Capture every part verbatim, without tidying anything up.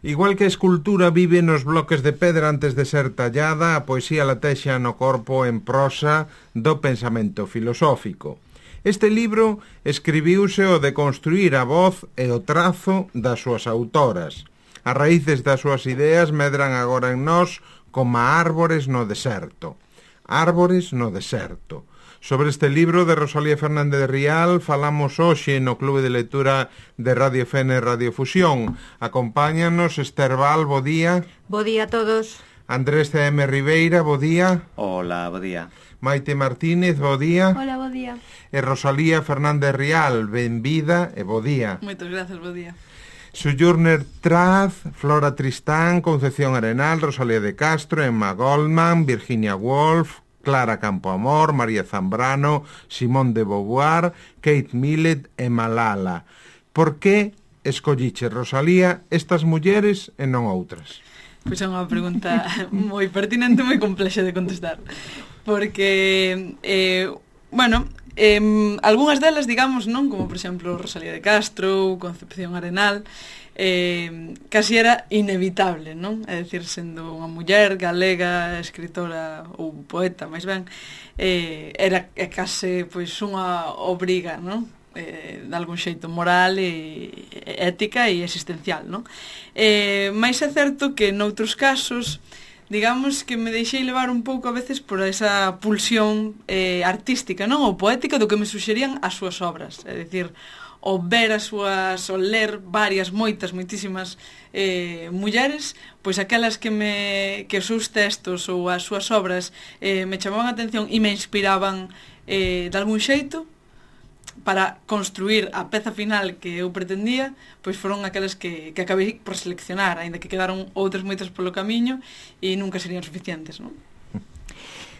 Igual que a escultura vive nos bloques de pedra antes de ser tallada, a poesía latexa no corpo en prosa do pensamento filosófico. Este libro escribiuse o de construir a voz e o trazo das súas autoras. As raíces das súas ideas medran agora en nós como árbores no deserto. Árbores no deserto. Sobre este libro de Rosalía Fernández Rial falamos hoxe no Clube de Lectura de Radio F N Radio Fusión. Acompáñanos Esther Val, bo día. Bo día a todos. Andrés C M Ribeira, bo día. Hola, bo día. Maite Martínez, bo día. Hola, bo día. E Rosalía Fernández Rial, benvida e bo día. Moitas grazas, bo día. Sojourner Traz, Flora Tristán, Concepción Arenal, Rosalía de Castro, Emma Goldman, Virginia Woolf, Clara Campoamor, María Zambrano, Simón de Beauvoir, Kate Millett e Malala. Por que escolliche, Rosalía, estas mulleres e non outras? Pois é unha pregunta moi pertinente, moi complexa de contestar. Porque, eh, bueno, eh, algunhas delas, digamos, non, como por exemplo Rosalía de Castro, Concepción Arenal, eh, casi era inevitable, non? É dicir, sendo unha muller galega, escritora ou poeta, máis ben, eh, era é case pois unha obriga, non? Eh, de algún xeito moral e ética e existencial, non? Eh, máis é certo que noutros casos, digamos que me deixei levar un pouco a veces por esa pulsión eh, artística, non? Ou poética do que me suxerían as súas obras, é dicir, o ver as súas, o ler varias, moitas, moitísimas eh, mulleres, pois aquelas que me que os seus textos ou as súas obras eh, me chamaban a atención e me inspiraban eh, de algún xeito para construir a peza final que eu pretendía, pois foron aquelas que, que acabei por seleccionar, aínda que quedaron outras moitas polo camiño e nunca serían suficientes, non?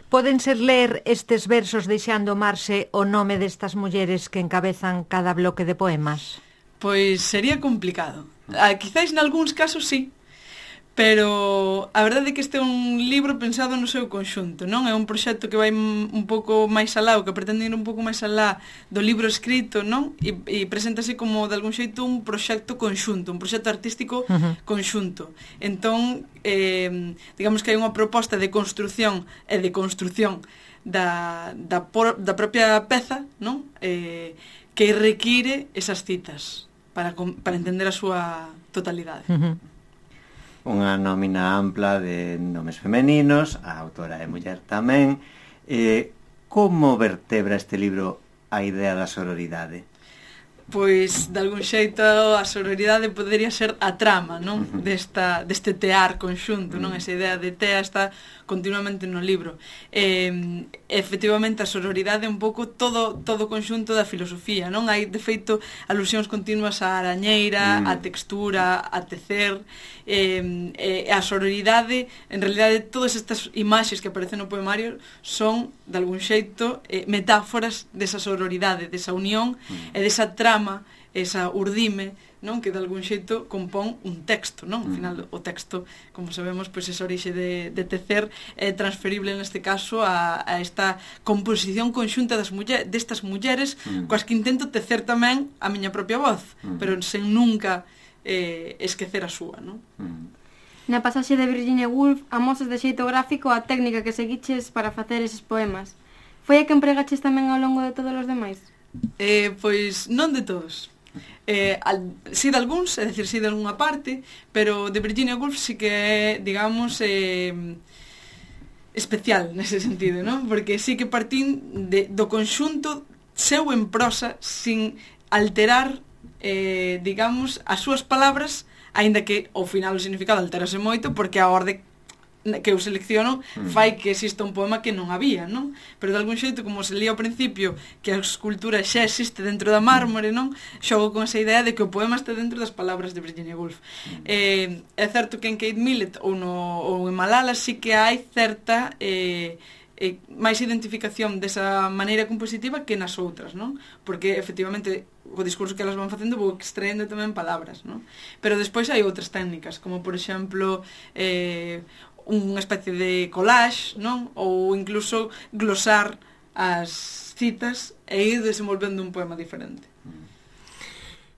Poden ser ler estes versos deixando marxe o nome destas mulleres que encabezan cada bloque de poemas? Pois sería complicado. Ah, quizáis nalgúns casos sí, pero a verdade é que este é un libro pensado no seu conxunto, non? É un proxecto que vai un pouco máis alá, o que pretende ir un pouco máis alá do libro escrito, non? E, e preséntase como de algún xeito un proxecto conxunto, un proxecto artístico uh-huh. conxunto. Entón, eh, digamos que hai unha proposta de construción e de construción da, da, por, da propia peza, non? Eh, que require esas citas para, para entender a súa totalidade. Uh-huh. Unha nómina ampla de nomes femeninos, a autora é muller tamén. Eh, como vertebra este libro a idea da sororidade? Pois, de algún xeito, a sororidade podería ser a trama, non? Uh-huh. Desta, deste tear conxunto, non? Uh-huh. Esa idea de tea está continuamente no libro. Eh, efectivamente, a sororidade é un pouco todo todo o conxunto da filosofía, non? Hai, de feito, alusións continuas á arañeira, uh-huh. á textura, a tecer, eh, eh, a sororidade, en realidade, todas estas imaxes que aparecen no poemario son, de algún xeito, eh, metáforas desa sororidade, desa unión uh-huh. e desa trama, esa urdime, non, que de algún xeito compón un texto, non? Ao final o texto, como sabemos, pois esa orixe de, de tecer é transferible neste caso a, a esta composición conxunta das muller, destas mulleres mm. coas que intento tecer tamén a miña propia voz, mm. pero sen nunca eh, esquecer a súa, non? Mm. Na pasaxe de Virginia Woolf amosas de xeito gráfico a técnica que seguiches para facer eses poemas. Foi a que empregaches tamén ao longo de todos os demais? Eh, pois non de todos. Eh, al, si de algúns, é dicir, si de algunha parte, pero de Virginia Woolf sí que é, digamos, eh, especial nese sentido, non? Porque sí que partín de, do conxunto seu en prosa sin alterar, eh, digamos, as súas palabras, aínda que ao final o significado alterase moito, porque a orde que eu selecciono fai que exista un poema que non había, non? Pero de algún xeito, como se lía ao principio que a escultura xa existe dentro da mármore, non? Xogo con esa idea de que o poema está dentro das palabras de Virginia Woolf. Eh, é certo que en Kate Millett ou, no, ou en Malala sí que hai certa eh, eh, máis identificación desa maneira compositiva que nas outras, non? Porque efectivamente o discurso que elas van facendo vou extraendo tamén palabras, non? Pero despois hai outras técnicas, como por exemplo eh, unha especie de collage, non? Ou incluso glosar as citas e ir desenvolvendo un poema diferente.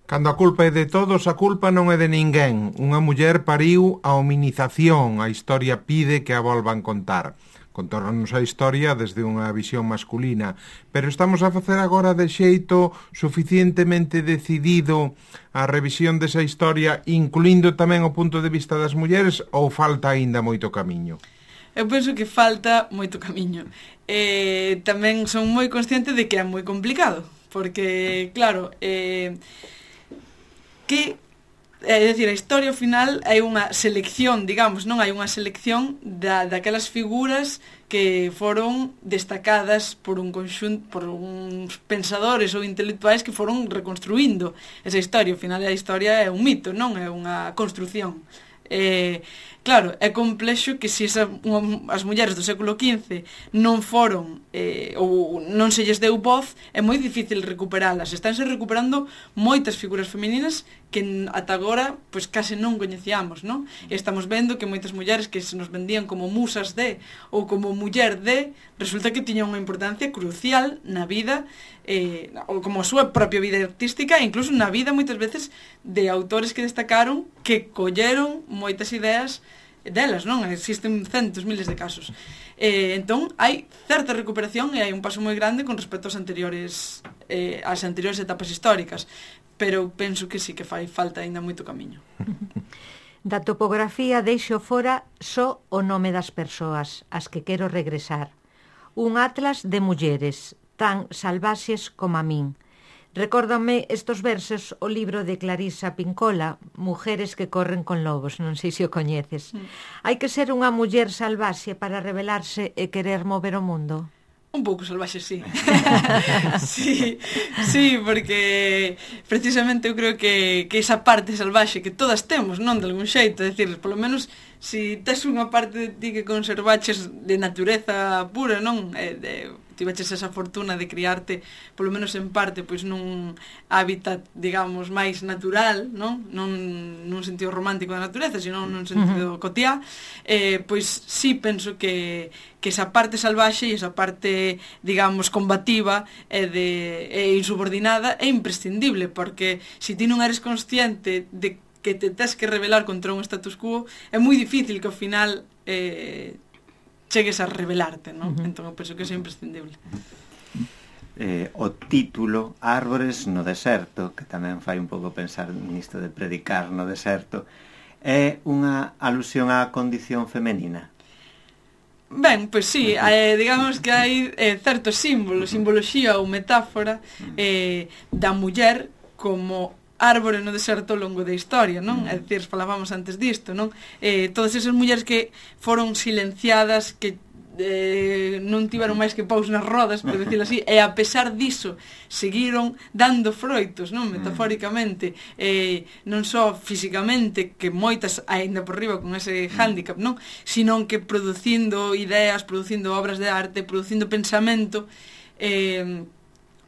Cando a culpa é de todos, a culpa non é de ninguén. Unha muller pariu a hominización, a historia pide que a volvan contar. Contornos a historia desde unha visión masculina, pero estamos a facer agora de xeito suficientemente decidido a revisión desa historia, incluindo tamén o punto de vista das mulleres, ou falta aínda moito camiño? Eu penso que falta moito camiño. Eh, tamén son moi consciente de que é moi complicado, porque, claro, eh, que é dicir, a historia ao final hai unha selección, digamos, non hai unha selección da, daquelas figuras que foron destacadas por un conxunto, por uns pensadores ou intelectuais que foron reconstruindo esa historia. Ao final a historia é un mito, non é unha construción. Eh, claro, é complexo que se esa, unha, as mulleres do século quince non foron eh, ou non se lles deu voz, é moi difícil recuperalas. Estánse recuperando moitas figuras femininas que ata agora pois case non coñecíamos, non? E estamos vendo que moitas mulleres que se nos vendían como musas de ou como muller de, resulta que tiñan unha importancia crucial na vida, eh, ou como a súa propia vida artística, e incluso na vida moitas veces de autores que destacaron, que colleron moitas ideas delas, non? Existen centos, miles de casos. Eh, entón, hai certa recuperación e hai un paso moi grande con respecto aos anteriores eh, ás anteriores etapas históricas, pero penso que sí que fai falta aínda moito camiño. Da topografía deixo fora só o nome das persoas ás que quero regresar. Un atlas de mulleres, tan salvaxes como a min. Recórdame estos versos o libro de Clarisa Pincola, Mujeres que corren con lobos, non sei se o coñeces. Mm. Hai que ser unha muller salvaxe para rebelarse e querer mover o mundo? Un pouco salvaxe, sí. sí, sí, porque precisamente eu creo que, que esa parte salvaxe que todas temos, non de algún xeito, é dicir, polo menos si tes unha parte de ti que conservaches de natureza pura, non? Eh, de, tiveches esa fortuna de criarte, polo menos en parte, pois nun hábitat, digamos, máis natural, non? Non nun sentido romántico da natureza, sino nun sentido uh-huh. cotiá, eh, pois sí penso que, que esa parte salvaxe e esa parte, digamos, combativa e, de, e insubordinada é imprescindible, porque se ti non eres consciente de que te tes que rebelar contra un status quo, é moi difícil que ao final eh, chegues a rebelarte, non? Uh-huh. Entón, eu penso que é imprescindible. Eh, o título Árbores no deserto, que tamén fai un pouco pensar nisto de predicar no deserto, é unha alusión á condición femenina. Ben, pois sí, eh, digamos que hai eh, certos símbolos, simboloxía ou metáfora eh, da muller como árbore no deserto ao longo da historia, non? É dicir, falábamos antes disto, non? Eh, todas esas mulleres que foron silenciadas, que eh, non tiveron máis que paus nas rodas, por decirlo así, e a pesar diso seguiron dando froitos, non? Metafóricamente, eh, non só físicamente, que moitas aínda por riba con ese hándicap, non? Sino que producindo ideas, producindo obras de arte, producindo pensamento, eh,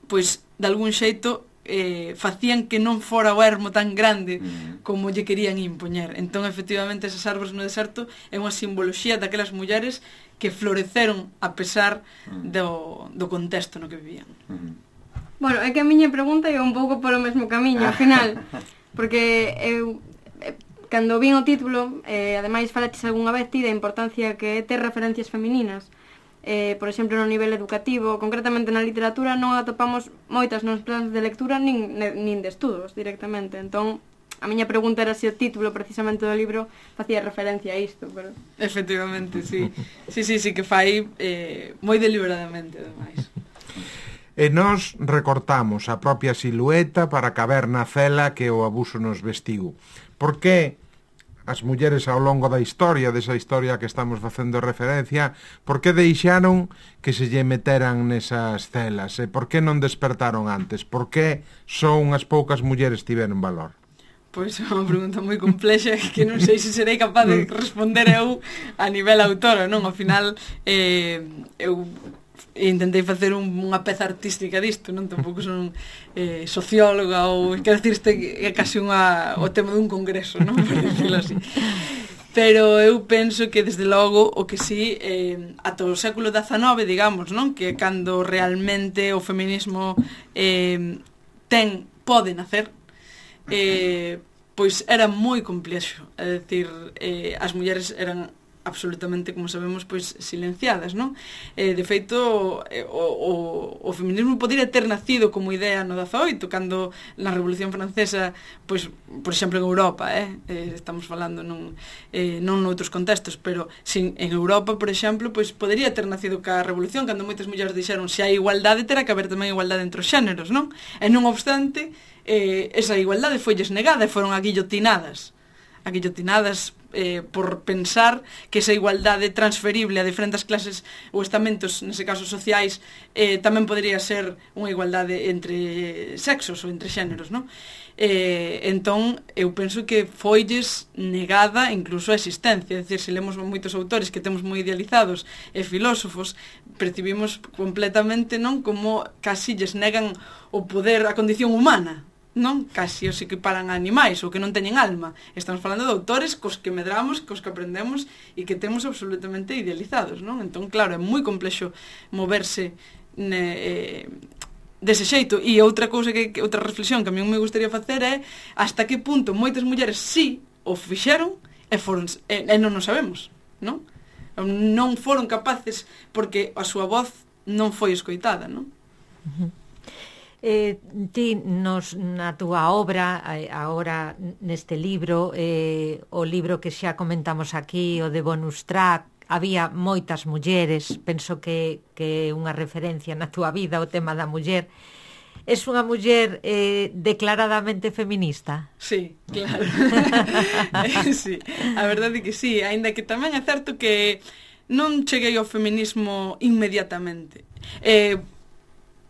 pois, de algún xeito, eh, facían que non fora o ermo tan grande como lle querían impoñer. Entón, efectivamente, esas árbores no deserto é unha simboloxía daquelas mulleres que floreceron a pesar do, do contexto no que vivían. Bueno, é que a miña pregunta é un pouco polo mesmo camiño, ao final, porque eu, cando vin o título, eh, ademais falaches algunha vez ti da importancia que é ter referencias femininas. Eh, por exemplo, no nivel educativo, concretamente na literatura, non atopamos moitas nos planos de lectura nin, nin de estudos directamente. Entón, a miña pregunta era se o título precisamente do libro facía referencia a isto, pero... Efectivamente, sí. Sí, sí, sí que fai eh, moi deliberadamente, ademais. E nós recortamos a propia silueta para caber na cela que o abuso nos vestiu. Por que as mulleres ao longo da historia, desa historia que estamos facendo referencia, por que deixaron que se lle meteran nesas celas? E por que non despertaron antes? Por que só unhas poucas mulleres tiveron valor? Pois é unha pregunta moi complexa que non sei se serei capaz de responder eu a nivel autora, non? Ao final, eh, eu intentei facer un, unha peza artística disto, non? Tampouco son eh, socióloga ou, quero dicir, este é casi unha, o tema dun congreso, non? Por decirlo así. Pero eu penso que, desde logo, o que sí, eh, ata o século dezanove, digamos, non? Que cando realmente o feminismo eh, ten, pode nacer, eh, pois era moi complexo, é dicir, eh, as mulleres eran absolutamente, como sabemos, pois silenciadas, non? Eh, de feito, eh, o, o, o feminismo podría ter nacido como idea no dezaoito, cando na Revolución Francesa, pois, por exemplo, en Europa, eh, eh estamos falando non, eh, non noutros contextos, pero sin, en Europa, por exemplo, pois podería ter nacido ca Revolución, cando moitas mulleres dixeron se hai igualdade, terá que haber tamén igualdade entre os xéneros, non? E non obstante, eh, esa igualdade foilles negada e foron aguillotinadas. Aguillotinadas eh, por pensar que esa igualdade transferible a diferentes clases ou estamentos, nese caso sociais, eh, tamén podría ser unha igualdade entre sexos ou entre xéneros, non? Eh, entón, eu penso que foilles negada incluso a existencia, é dicir, se lemos moitos autores que temos moi idealizados e filósofos, percibimos completamente, non, como casi lles negan o poder, a condición humana, non? Casi os equiparan a animais ou que non teñen alma. Estamos falando de autores cos que medramos, cos que aprendemos e que temos absolutamente idealizados, non? Entón, claro, é moi complexo moverse ne, eh, dese xeito. E outra cousa que, que outra reflexión que a mí me gustaría facer é hasta que punto moitas mulleres sí o fixeron e foron e, e non o sabemos, non? Non foron capaces porque a súa voz non foi escoitada, non? Uh-huh. Eh, ti nos, na túa obra agora neste libro, eh, o libro que xa comentamos aquí, o de Bonus Track, había moitas mulleres, penso que, que é unha referencia na túa vida o tema da muller. Es unha muller eh, declaradamente feminista? Sí, claro. eh, sí, a verdade é que sí, aínda que tamén é certo que non cheguei ao feminismo inmediatamente. Eh,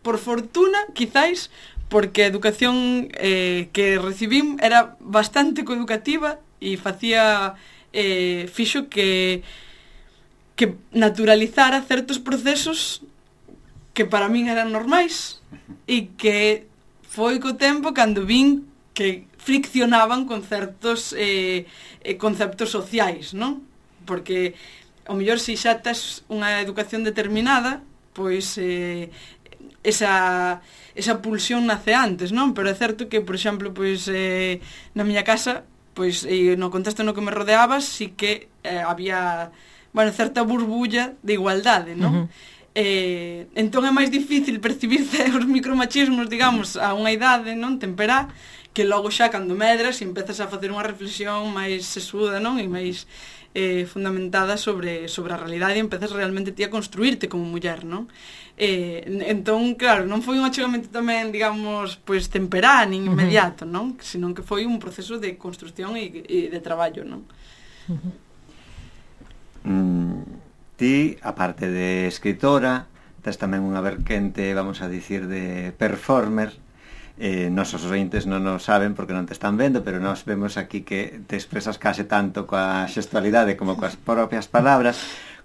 por fortuna, quizáis, porque a educación eh, que recibín era bastante coeducativa e facía eh, fixo que que naturalizara certos procesos que para min eran normais e que foi co tempo cando vin que friccionaban con certos eh, conceptos sociais, non? Porque ao mellor se xa tes unha educación determinada, pois eh, esa, esa pulsión nace antes, non? Pero é certo que, por exemplo, pois eh, na miña casa, pois e no contexto no que me rodeaba, sí que eh, había, bueno, certa burbulla de igualdade, non? Uh-huh. Eh, entón é máis difícil percibir os micromachismos, digamos, a unha idade, non? Temperá, que logo xa cando medras e empezas a facer unha reflexión máis sesuda, non? E máis eh, fundamentada sobre, sobre a realidade e empezas realmente ti a construirte como muller, non? Eh, entón, claro, non foi un achegamento tamén, digamos, pois temperá, nin inmediato, non? Senón que foi un proceso de construcción e, e de traballo, non? Mm, ti, aparte de escritora, tes tamén unha verquente, vamos a dicir, de performer. Eh, nosos ointes non o saben porque non te están vendo, pero nós vemos aquí que te expresas case tanto coa xestualidade como coas propias palabras.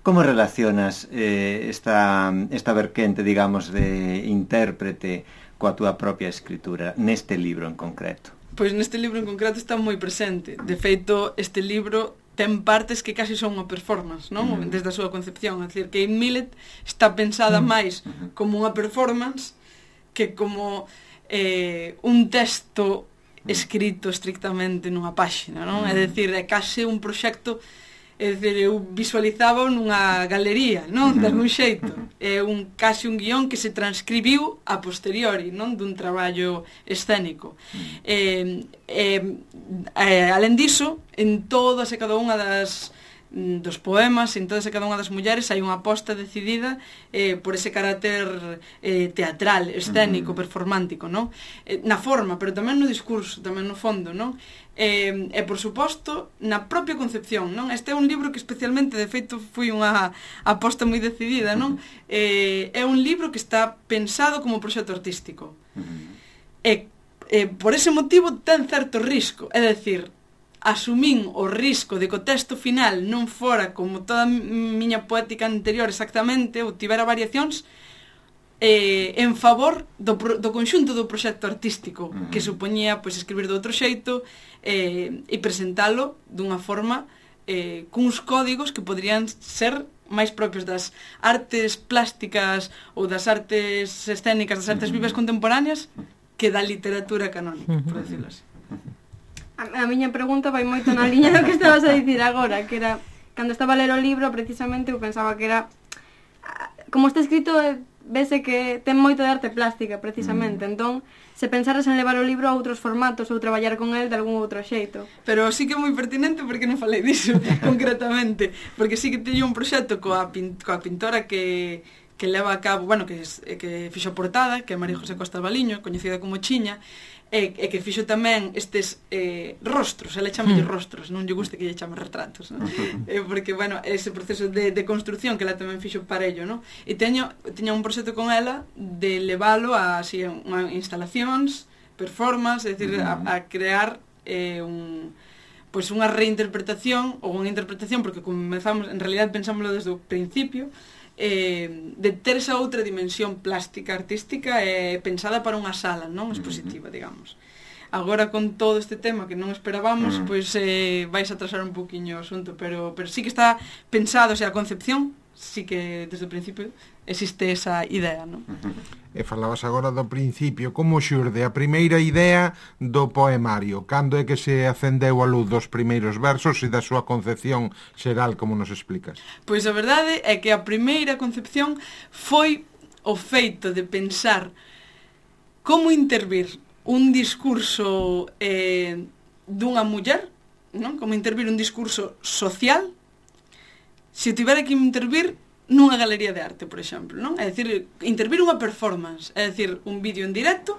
Como relacionas eh, esta, esta verquente, digamos, de intérprete coa túa propia escritura, neste libro en concreto? Pois neste libro en concreto está moi presente. De feito, este libro ten partes que casi son unha performance, non? Mm. Desde a súa concepción. É dicir, Kate Millett está pensada mm. máis como unha performance que como eh, un texto escrito estrictamente nunha páxina, non? Mm. É dicir, é case un proxecto. É dicir, eu visualizaba nunha galería, non? De algún xeito. É un, casi un guión que se transcribiu a posteriori, non? Dun traballo escénico. Eh, eh, eh, alén diso, en todas e cada unha das dos poemas, en todas e cada unha das mulleres hai unha aposta decidida eh, por ese carácter eh, teatral, escénico, performántico, non? Eh, na forma, pero tamén no discurso, tamén no fondo, non? Eh, e, por suposto, na propia concepción, non? Este é un libro que especialmente, de feito, foi unha aposta moi decidida, non? Eh, é un libro que está pensado como proxecto artístico. E, eh, por ese motivo, ten certo risco, é dicir, asumín o risco de que o texto final non fora como toda a miña poética anterior exactamente, ou tivera variacións, eh, en favor do, do conxunto do proxecto artístico, uh-huh. que supoñía pois, escribir de outro xeito eh, e presentalo dunha forma eh, cuns códigos que poderían ser máis propios das artes plásticas ou das artes escénicas, das artes vivas contemporáneas, que da literatura canónica, uh-huh. por decirlo así. A, a miña pregunta vai moito na liña do que estabas a dicir agora, que era, cando estaba a ler o libro, precisamente, eu pensaba que era, como está escrito, vese que ten moito de arte plástica, precisamente, mm. entón, se pensaras en levar o libro a outros formatos ou traballar con el de algún outro xeito. Pero sí que é moi pertinente porque non falei diso concretamente, porque sí que teño un proxecto coa, pin, coa pintora que, que leva a cabo, bueno, que, que fixo a portada, que é María José Costa Valiño, coñecida como Chiña, e, e que fixo tamén estes eh, rostros, ela chama mm. rostros, non lle guste que lle chame retratos, non? eh, porque, bueno, ese proceso de, de construcción que ela tamén fixo para ello, non? E teño, teño un proxecto con ela de leválo a, así, unha instalacións, performance, é dicir, a, a crear eh, un, pois unha reinterpretación, ou unha interpretación, porque comenzamos, en realidad pensámoslo desde o principio, eh, de ter esa outra dimensión plástica, artística eh, pensada para unha sala, non expositiva, digamos. Agora con todo este tema que non esperábamos, uh-huh. pois eh, vais a atrasar un poquinho o asunto, pero, pero sí que está pensado, o sea, a concepción, sí que desde o principio existe esa idea, non? Uh-huh. E falabas agora do principio, como xurde a primeira idea do poemario? Cando é que se acendeu a luz dos primeiros versos e da súa concepción xeral, como nos explicas? Pois a verdade é que a primeira concepción foi o feito de pensar como intervir un discurso eh, dunha muller, non? Como intervir un discurso social se tivera que intervir nunha galería de arte, por exemplo, non? É dicir, intervir unha performance, é dicir, un vídeo en directo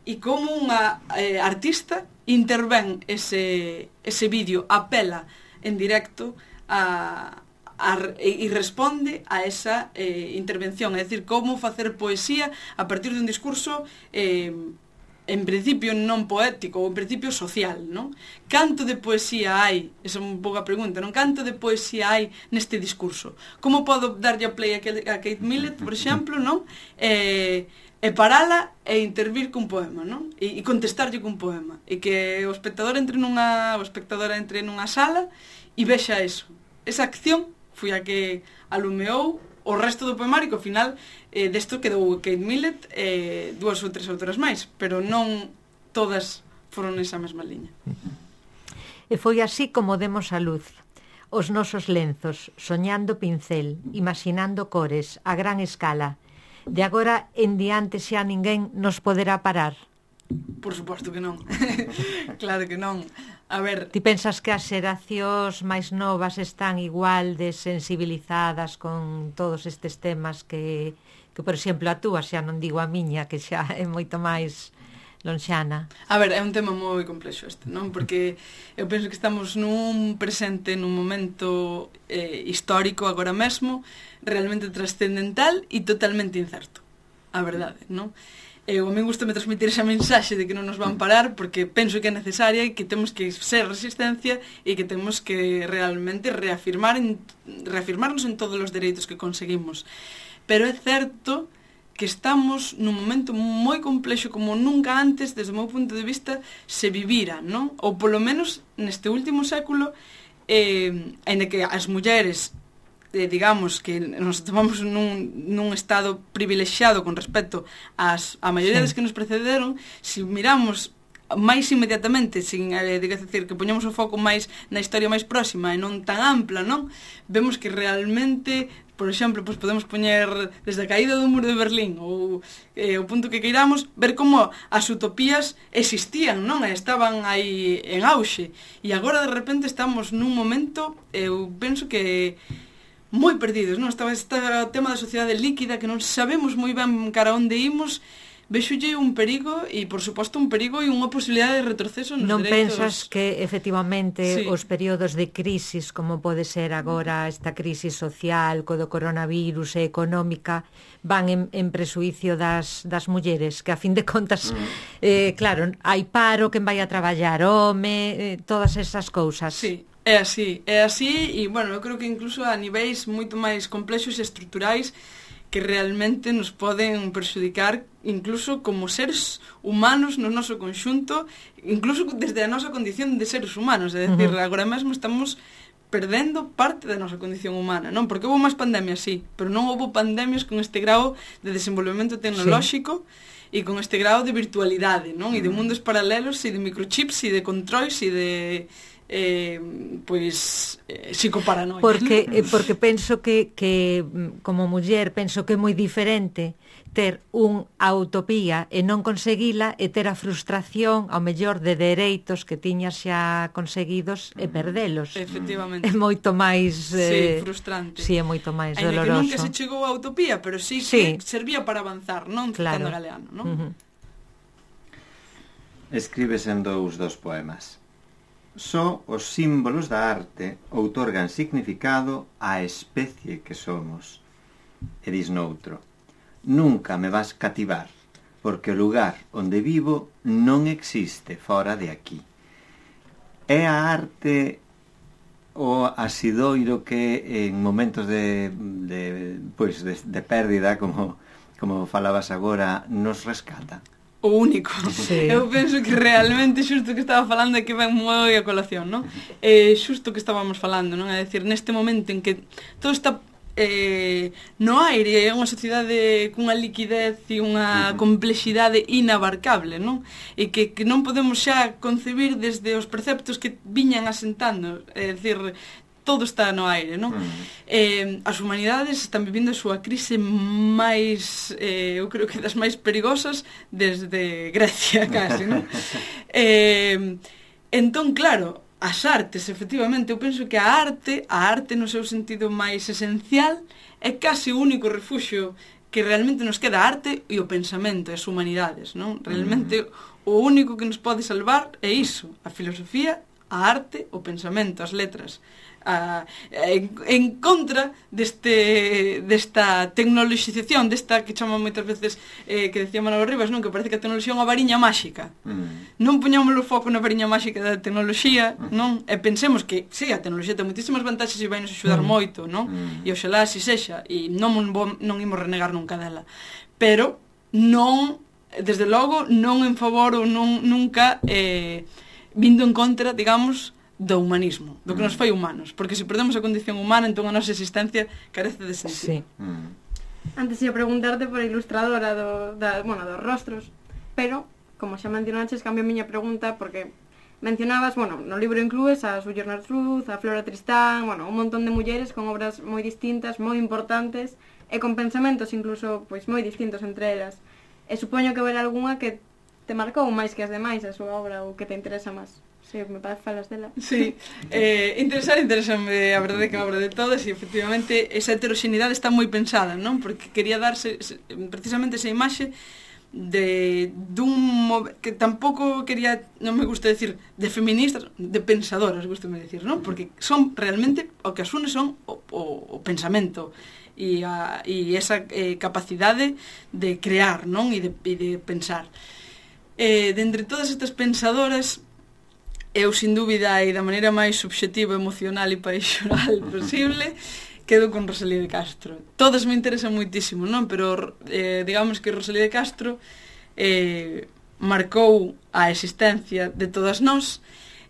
e como unha eh, artista intervén ese, ese vídeo, apela en directo a, a, e responde a esa eh, intervención, é dicir, como facer poesía a partir dun discurso eh, en principio non poético, ou en principio social, non? Canto de poesía hai, esa é un pouco a pregunta, non? Canto de poesía hai neste discurso? Como podo darlle a play a Kate Millett, por exemplo, non? E, e parala e intervir cun poema, non? E, e contestarlle cun poema. E que o espectador entre nunha, o espectadora entre nunha sala e vexa eso. Esa acción foi a que alumeou o resto do poemario, que ao final eh, desto quedou Kate Millett e eh, dúas ou tres autoras máis, pero non todas foron nesa mesma liña. E foi así como demos a luz. Os nosos lenzos, soñando pincel, imaginando cores, a gran escala. De agora en diante xa ninguén nos poderá parar. Por suposto que non. Claro que non. A ver... Ti pensas que as xeracións máis novas están igual de sensibilizadas con todos estes temas que, que por exemplo, a túa, xa non digo a miña, que xa é moito máis lonxana? A ver, é un tema moi complexo este, non? Porque eu penso que estamos nun presente, nun momento eh, histórico agora mesmo, realmente trascendental e totalmente incerto. A verdade, non? Eu a mí gustame transmitir esa mensaxe de que non nos van parar porque penso que é necesaria e que temos que ser resistencia e que temos que realmente reafirmar en, reafirmarnos en todos os dereitos que conseguimos. Pero é certo que estamos nun momento moi complexo como nunca antes, desde o meu punto de vista, se vivira, non? Ou polo menos neste último século, eh, en que as mulleres Eh, digamos que nos tomamos nun, nun estado privilexiado con respecto ás, a maioría sí. das que nos precederon, se miramos máis inmediatamente, sin eh, decir, que poñamos o foco máis na historia máis próxima e non tan ampla, non? Vemos que realmente, por exemplo, pues podemos poñer desde a caída do muro de Berlín ou eh, o punto que queiramos, ver como as utopías existían, non? Estaban aí en auxe e agora de repente estamos nun momento, eu penso que moi perdidos, non? Estaba este tema da sociedade líquida que non sabemos moi ben cara onde imos. Vexolle un perigo e, por suposto, un perigo e unha posibilidade de retroceso nos non dereitos. Non pensas que, efectivamente, sí. os períodos de crisis, como pode ser agora esta crisis social, co do coronavirus e económica, van en, en presuicio das, das mulleres, que a fin de contas, mm. eh, claro, hai paro, quen vai a traballar, home, eh, todas esas cousas. Sí. É así, é así e, bueno, eu creo que incluso a niveis moito máis complexos e estruturais que realmente nos poden perxudicar incluso como seres humanos no noso conxunto, incluso desde a nosa condición de seres humanos, é dicir, uh-huh. agora mesmo estamos perdendo parte da nosa condición humana, non? Porque houve máis pandemias, sí, pero non houve pandemias con este grau de desenvolvemento tecnolóxico e sí. con este grau de virtualidade, non? E de mundos paralelos, e de microchips, e de controis, e de eh, pois eh, psicoparanoia. Porque eh, porque penso que que como muller penso que é moi diferente ter unha utopía e non conseguila e ter a frustración ao mellor de dereitos que tiñas xa conseguidos e perdelos. Efectivamente. É moito máis eh, sí, frustrante. Sí, é moito máis Ainda doloroso. que nunca se chegou á utopía, pero sí, sí. que servía para avanzar, non? Claro. Citando Galeano, non? Uh-huh. Escribes en dous dos poemas. Só os símbolos da arte outorgan significado á especie que somos. E dis noutro. Nunca me vas cativar, porque o lugar onde vivo non existe fora de aquí. É a arte o asidoiro que en momentos de, de, pois de, de pérdida, como, como falabas agora, nos rescata? O único. Sí. Eu penso que realmente xusto que estaba falando é que ven moi a colación, non? É xusto que estábamos falando, non? É dicir, neste momento en que todo está eh, no aire, é unha sociedade cunha liquidez e unha complexidade inabarcable, non? E que, que non podemos xa concebir desde os preceptos que viñan asentando, é dicir, todo está no aire, non? Mm. Eh, as humanidades están vivindo a súa crise máis, eh, eu creo que das máis perigosas desde Grecia, casi, non? eh, entón, claro, as artes, efectivamente, eu penso que a arte, a arte no seu sentido máis esencial, é case o único refuxio que realmente nos queda, a arte e o pensamento, e as humanidades, non? Realmente mm. o único que nos pode salvar é iso, a filosofía, a arte, o pensamento, as letras. A, en, en contra deste desta tecnoloxización, desta que chama moitas veces eh, que decía Manolo Rivas, non? Que parece que a tecnoloxía é unha variña máxica. Mm. Non poñamos o foco na variña máxica da tecnoloxía, non? E pensemos que, sí, a tecnoloxía ten moitísimas vantaxes e vai nos axudar mm. moito, non? Mm. E oxalá así sexa, e non, non imos renegar nunca dela. Pero non, desde logo, non en favor ou non, nunca eh, vindo en contra, digamos, do humanismo, do que nos fai humanos, porque se perdemos a condición humana, entón a nosa existencia carece de sentido. Sí. Mm. Antes ia preguntarte por a ilustradora do, da, bueno, dos rostros, pero, como xa mencionaches, cambio a miña pregunta, porque mencionabas, bueno, no libro inclues a Sojourner Truth, a Flora Tristán, bueno, un montón de mulleres con obras moi distintas, moi importantes, e con pensamentos incluso, pois, moi distintos entre elas. E supoño que haberá algunha que te marcou máis que as demais a súa obra, ou que te interesa máis. Sí, me parece falas dela. Sí, eh, interesar, interesame a verdade que a obra de todas e efectivamente esa heteroxeneidade está moi pensada, non? Porque quería darse precisamente esa imaxe de dun que tampouco quería, non me gusta decir de feministas, de pensadoras, gustame decir, non? Porque son realmente o que as une son o, o, o pensamento e, a, e esa eh, capacidade de crear, non? E de, e de pensar. Eh, de entre todas estas pensadoras, eu, sin dúbida, e da maneira máis subxectiva, emocional e paixonal posible, quedo con Rosalía de Castro. Todas me interesan moitísimo, non? Pero, eh, digamos que Rosalía de Castro eh, marcou a existencia de todas nós,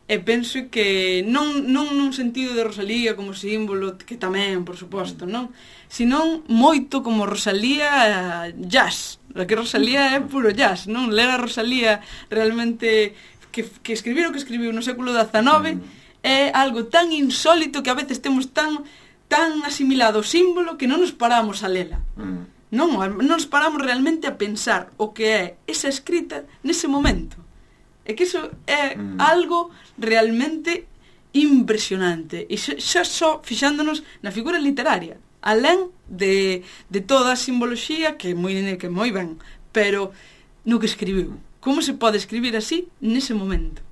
e penso que non, non nun sentido de Rosalía como símbolo, que tamén, por suposto, non? Senón moito como Rosalía jazz. A que Rosalía é puro jazz, non? Ler a Rosalía realmente... Que, que escribir o que escribiu no século dezanove mm. é algo tan insólito que a veces temos tan tan asimilado o símbolo que non nos paramos a lela. Mm. Non, non nos paramos realmente a pensar o que é esa escrita nese momento. É que iso é mm. algo realmente impresionante. E xa, xa só fixándonos na figura literaria, alén de, de toda a simboloxía que é moi, que é moi ben, pero no que escribiu. Como se pode escribir así nese momento?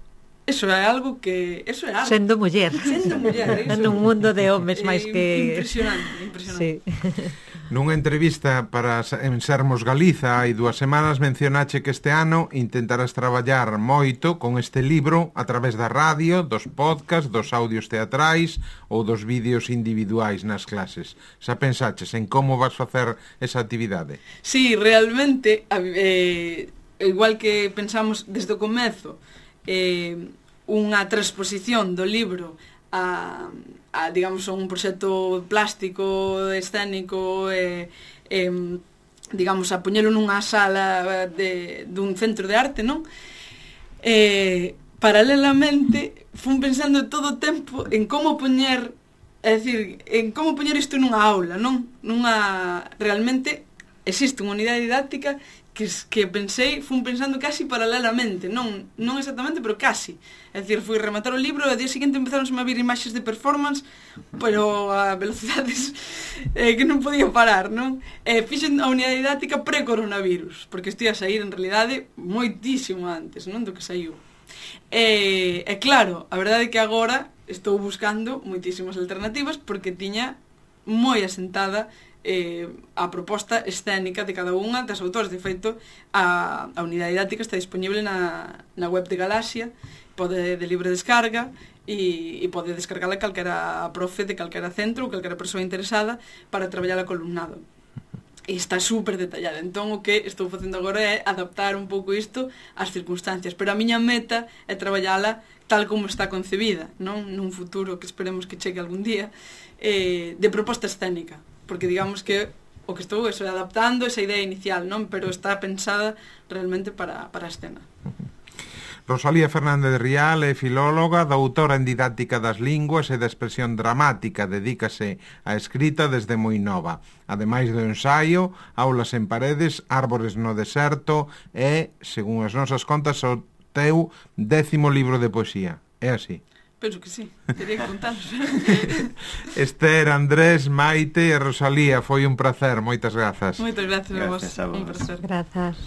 Eso é algo que... Eso é algo. Sendo muller. Sendo muller. Eso. Nun mundo de homes máis que... Impresionante, impresionante. Sí. Nunha entrevista para en Sermos Galiza hai dúas semanas mencionache que este ano intentarás traballar moito con este libro a través da radio, dos podcasts, dos audios teatrais ou dos vídeos individuais nas clases. Xa pensaches en como vas facer esa actividade? Sí, realmente... Eh, igual que pensamos desde o comezo eh, unha transposición do libro a, a digamos, a un proxecto plástico, escénico, e, e digamos, a poñelo nunha sala de, dun centro de arte, non? E, paralelamente, fun pensando todo o tempo en como poñer, é dicir, en como poñer isto nunha aula, non? Nunha, realmente, existe unha unidade didáctica que, que pensei, fun pensando casi paralelamente, non, non exactamente, pero casi. É dicir, fui rematar o libro e ao día seguinte empezaron a vir imaxes de performance, pero a velocidades eh, que non podía parar, non? E fixen a unidade didáctica pre-coronavirus, porque estou a sair en realidade moitísimo antes, non, do que saiu. E, e claro, a verdade é que agora estou buscando moitísimas alternativas porque tiña moi asentada eh, a proposta escénica de cada unha das autores. De feito, a, a unidade didáctica está disponible na, na web de Galaxia, pode de libre descarga, e, e pode descargala calquera profe de calquera centro ou calquera persoa interesada para traballar a columnado. E está super detallada. Entón, o que estou facendo agora é adaptar un pouco isto ás circunstancias, pero a miña meta é traballala tal como está concebida, non? Nun futuro que esperemos que chegue algún día, eh, de proposta escénica, porque digamos que o que estou é adaptando esa idea inicial, non? Pero está pensada realmente para, para a escena. Rosalía Fernández Rial é filóloga, doutora en didáctica das linguas e da expresión dramática, dedícase á escrita desde moi nova. Ademais do ensaio, Aulas en paredes, Árbores no deserto e, según as nosas contas, o teu décimo libro de poesía. É así? Penso que sí, teria que contaros. Esther, Andrés, Maite e Rosalía, foi un placer, moitas grazas. Moitas grazas a vos. Gracias a vos. Un placer. Grazas.